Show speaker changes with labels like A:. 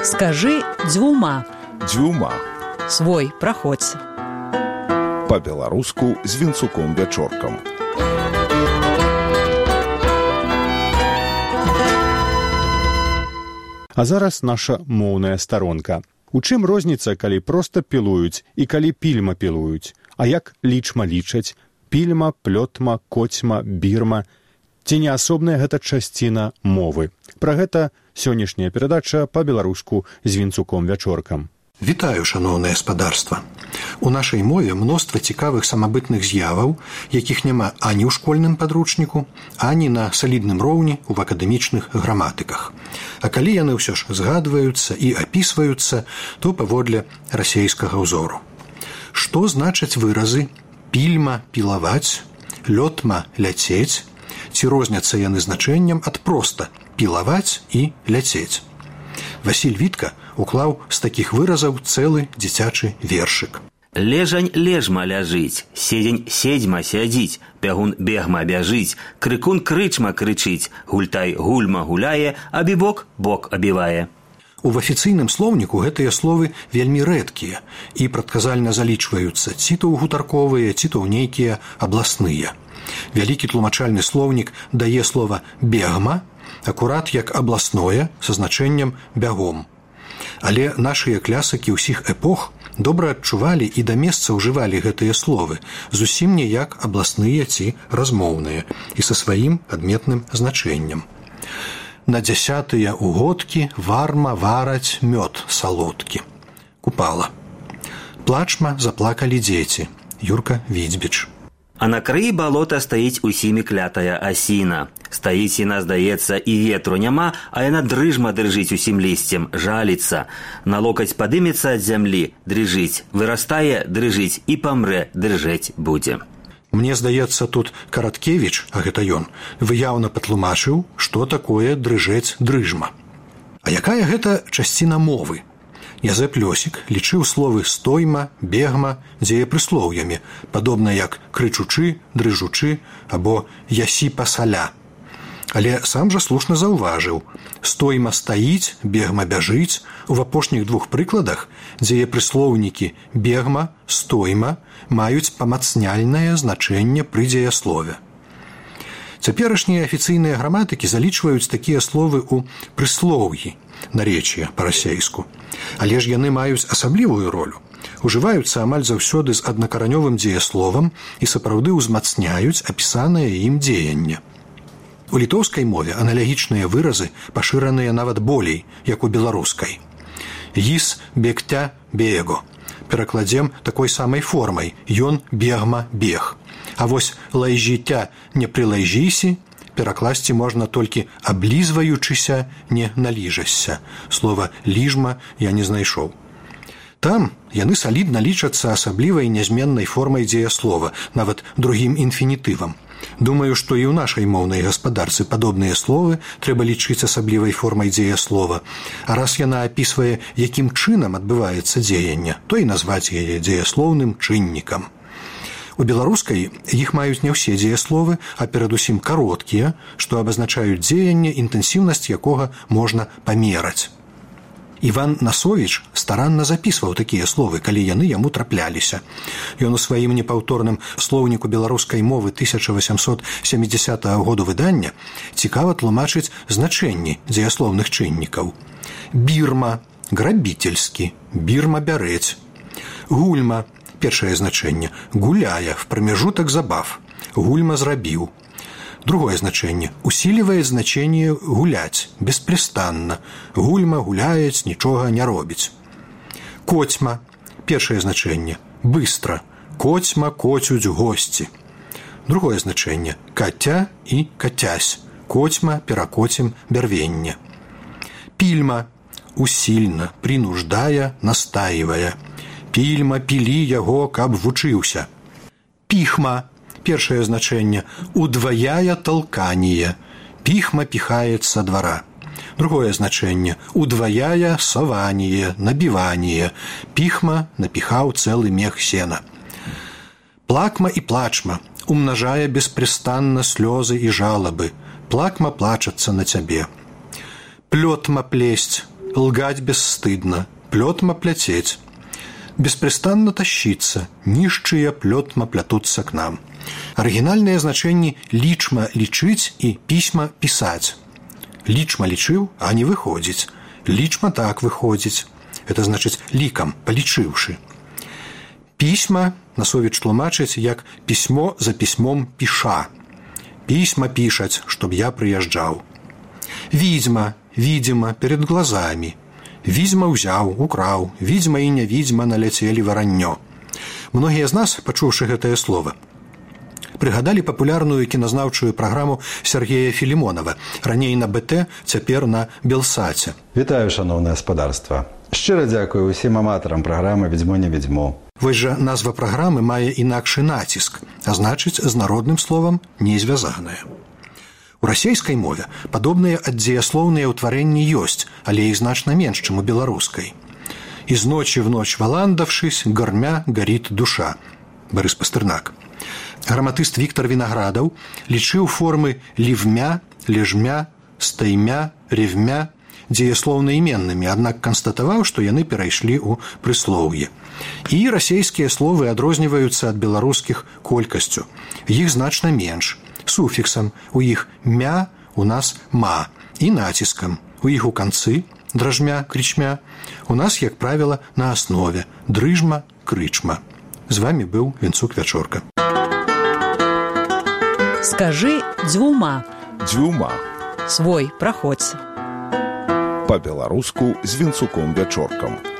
A: Скажи дзвюма.
B: Дзвюма.
A: Свой, праходзь.
B: Па-беларуску з Вінцуком-Вячоркам.
C: А зараз наша моўная старонка. У чым розніца, калі проста пілуюць і калі пільма пілуюць? А як лічма лічаць? Пільма, плётма, коцьма, бірма. Ці не асобная гэта часціна мовы? Пра гэта сённяшняя перадача па-беларуску з Вінцуком-Вячоркам.
D: Вітаю, шаноўнае гаспадарства. У нашай мове мноства цікавых самабытных з'яваў, якіх няма ані ў школьным падручніку, ані на салідным роўні ў акадэмічных граматыках. А калі яны ўсё ж згадваюцца і апісваюцца, то паводле расейскага ўзору. Што значаць выразы пільма пілаваць, лётма ляцець, ці розняцца яны значэннем ад проста пілаваць і ляцець? Васіль Вітка уклаў з такіх выразаў цэлы дзіцячы вершык.
E: Лежань лежма ляжыць, седзень седзьма сядзіць, бягун бегма бяжыць, крыкун крычма крычыць, гультай гульма гуляе, а бібок бок абівае.
D: У афіцыйным слоўніку гэтыя словы вельмі рэдкія і прадказальна залічваюцца ці то ў гутарковыя, ці то ў нейкія абласныя. Вялікі тлумачальны слоўнік дае слова «бегма» акурат як абласное са значэннем «бягом». Але нашыя клясыкі ўсіх эпох добра адчувалі і да месца ўжывалі гэтыя словы, зусім не як абласныя ці размоўныя і са сваім адметным значэннем. На 10-тыя угодкі варма вараць мёд салодкі. Купала. Плачма заплакалі дзеці. Юрка Відзьбіч.
E: А на краі балота стаіць усімі клятая асіна. Стаіць яна, здаецца, і ветру няма, а яна дрыжма дрыжыць усім лісцем, жаліцца. На локаць падымецца ад зямлі, дрыжыць, вырастае, дрыжыць і памрэ, дрыжэць будзе.
D: Мне здаецца, тут Караткевіч, а гэта ён, выяўна патлумачыў, што такое дрыжэць дрыжма. А якая гэта часціна мовы? Язэп Лёсік лічыў словы стойма, бегма дзеепрыслоўямі, падобна як крычучы, дрыжучы або ясі пасаля. Але сам жа слушна заўважыў, стойма стаіць, бегма бяжыць, у апошніх двух прыкладах дзеепрыслоўнікі бегма, стойма маюць памацняльнае значэнне пры дзеяслове. Цяперашнія афіцыйныя граматыкі залічваюць такія словы ў прыслоўі, наречія па-расейску. Але ж яны маюць асаблівую ролю. Ужываюцца амаль заўсёды з аднакаранёвым дзеясловам і сапраўды ўзмацняюць апісанае ім дзеянне. У літоўскай мове аналагічныя выразы пашыраныя нават болей, як у беларускай. Іс бегтя бего. Перакладзем такой самай формай. Ён бегма бег. А вось лайжіця не прылайжісі перакласці можна толькі аблізваючыся, не наліжашся. Слова «ліжма» я не знайшоў. Там яны салідна лічацца асаблівай нязменнай формай дзеяслова, нават другім інфінітывам. Думаю, што і ў нашай моўнай гаспадарцы падобныя словы трэба лічыць асаблівай формай дзеяслова. А раз яна апісвае, якім чынам адбываецца дзеянне, то і назваць яе дзеяслоўным чыннікам. У беларускай іх маюць не ўсе дзеясловы, а перадусім кароткія, што абазначаюць дзеянне, інтэнсіўнасць якога можна памераць. Іван Насовіч старанна запісваў такія словы, калі яны яму трапляліся. Ён у сваім непаўторным слоўніку беларускай мовы 1870 году выдання цікава тлумачыць значэнні дзеяслоўных чыннікаў. Бірма – грабительскі, бірма – бярэць. Гульма – першае значэнне – гуляе, в прамежутак забав, гульма зрабіў. Другое значэнне – усиливает значение гуляць, беспрестанна, гульма гуляец, нічога не робіць. Коцьма – першае значэнне – быстро, коцьма коцюць госці. Другое значэнне – каця і кацясь, коцьма перакоцім бярвенне. Пільма – усильна, принуждая, настаивая. Пільма пілі яго, каб вучыўся. Піхма – першае значэнне – удваяе толканне. Піхма піхаецца са двара. Другое значэнне – удваяе саванне, набіванне. Піхма напіхаў цэлы мех сена. Плакма і плачма – умнажае беспрестанна слёзы і жалабы. Плакма плачацца на цябе. Плётма плесць лгать бесстыдно, плетма плететь, беспрестанно тащиться, нищие плетма плятутся к нам. Арыгінальныя значэнні лічма лічыць і пісьма пісаць. Лічма лічыў, а не выходзіць. Лічма так выходзіць. Это значыць лікам, палічыўшы. Пісьма Насовіч тлумачыць, як пісьмо за пісьмом піша. Пісьма пішаць, чтоб я прыязджаў. Відзьма, видимо, перед глазами. Відзьма ўзяў, украў, відзьма і нявідзьма наляцелі вараннё. Многія з нас, пачуўшы гэтае слово, прыгадалі папулярную кіназнаўчую праграму Сергея Філімонава, раней на БТ, цяпер на Белсаце.
F: Вітаю, шановне господарство. Щиро дякую усім аматарам праграмы «Відзьмо не відзьмо».
D: Вось жа назва праграмы мае інакшы націск, а значыць, з народным словам не звязаная. У расейскай мове падобныя аддзеяслоўныя ўтварэнні ёсць, але іх значна менш, чым у беларускай. «Из ночи в ночь валандавшись, гормя горит душа» Барыс Пастырнак. Граматыст Віктор Вінаградаў лічыў формы лівмя, лежмя, стаймя, ревмя дзеяслоўна-іменнымі, аднак канстатаваў, што яны перайшлі ў прыслоўе. І расейскія словы адрозніваюцца ад беларускіх колькасцю. Іх значна менш. Суфіксам у іх мя, у нас ма. І націскам. У іх у канцы дражмя, крычмя. У нас, як правіла, на аснове дрыжма, крычма. З вами быў Вінцук Вячорка.
A: Скажи дзвюма.
B: Дзвюма.
A: Свой праходзь.
B: Па-беларуску з Вінцуком Вячоркам.